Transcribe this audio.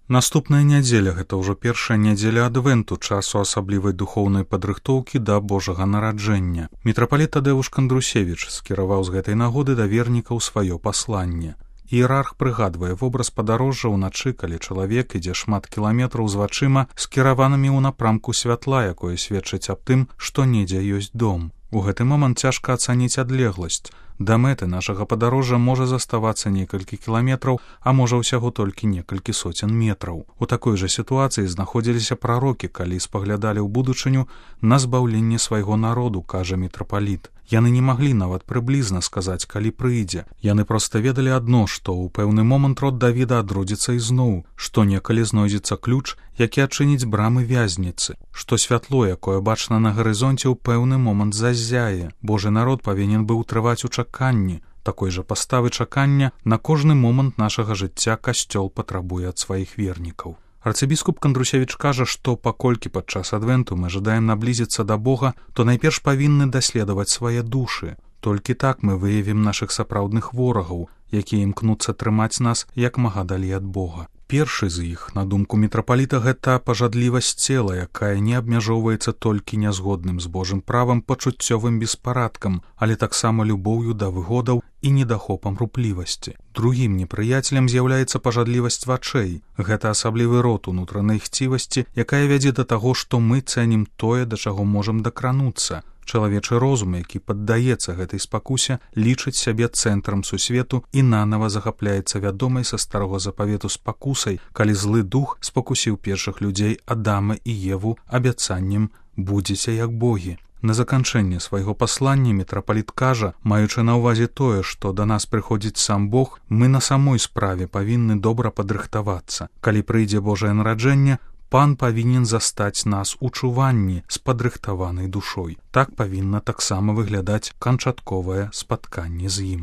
Наступная нядзеля гэта ўжо першая нядзеля адвенту, часу асаблівай духоўнай падрыхтоўкі да Божага нараджэння. Мітрапаліт Тадеуш Кандрусевіч скіраваў з гэтай нагоды да вернікаў сваё пасланне. Іерарх прыгадвае вобраз падарожжа ўначы, калі чалавек ідзе шмат кіламетраў з вачыма, скіраванымі ў напрамку святла, якое сведчыць аб тым, што недзе ёсць дом. У гэты момант цяжка ацаніць адлегласць. Да мэты нашага падарожжа можа заставацца некалькі кіламетраў, а можа ўсяго толькі некалькі соцень метраў. У такой жа сітуацыі знаходзіліся прарокі, калі спаглядалі ў будучыню на збаўленне свайго народу, кажа мітрапаліт. Яны не маглі нават прыблізна сказаць, калі прыйдзе. Яны проста ведалі адно, што ў пэўны момант род Давіда адродзіцца ізноў, што некалі знойдзецца ключ, які адчыніць брамы вязніцы, што святло, якое бачна на гарызонце, ў пэўны момант заззяе. Божы народ павінен быў трываць у чаканні. Такой жа паставы чакання на кожны момант нашага жыцця касцёл патрабуе ад сваіх вернікаў. Арцыбіскуп Кандрусевіч кажа, што паколькі падчас адвенту мы жадаем наблізіцца да Бога, то найперш павінны даследаваць свае душы. Толькі так мы выявім нашых сапраўдных ворагаў, якія імкнуцца трымаць нас як мага далей ад Бога. Першы з іх, на думку мітрапаліта, гэта пажадлівасць цела, якая не абмяжоўваецца толькі нязгодным з Божым правам пачуццёвым беспарадкам, але таксама любоўю да выгодаў і недахопам руплівасці. Другім непрыяцелем з'яўляецца пажадлівасць вачэй. Гэта асаблівы род унутранай хцівасці, якая вядзе да таго, што мы цэнім тое, да чаго можам дакрануцца. Чалавечы розум, які паддаецца гэтай спакусе, лічыць сябе цэнтрам сусвету і нанава захапляецца вядомай са старога запавету спакусай, калі злы дух спакусіў першых людзей Адама і Еву абяцаннем «будзеце як богі». На заканчэнне свайго паслання мітрапаліт кажа, маючы на ўвазе тое, што да нас прыходзіць сам Бог, мы на самой справе павінны добра падрыхтавацца. Калі прыйдзе Божае нараджэнне, Пан павінен застаць нас у чуванні з падрыхтаванай душой. Так павінна таксама выглядаць канчатковае спатканне з ім.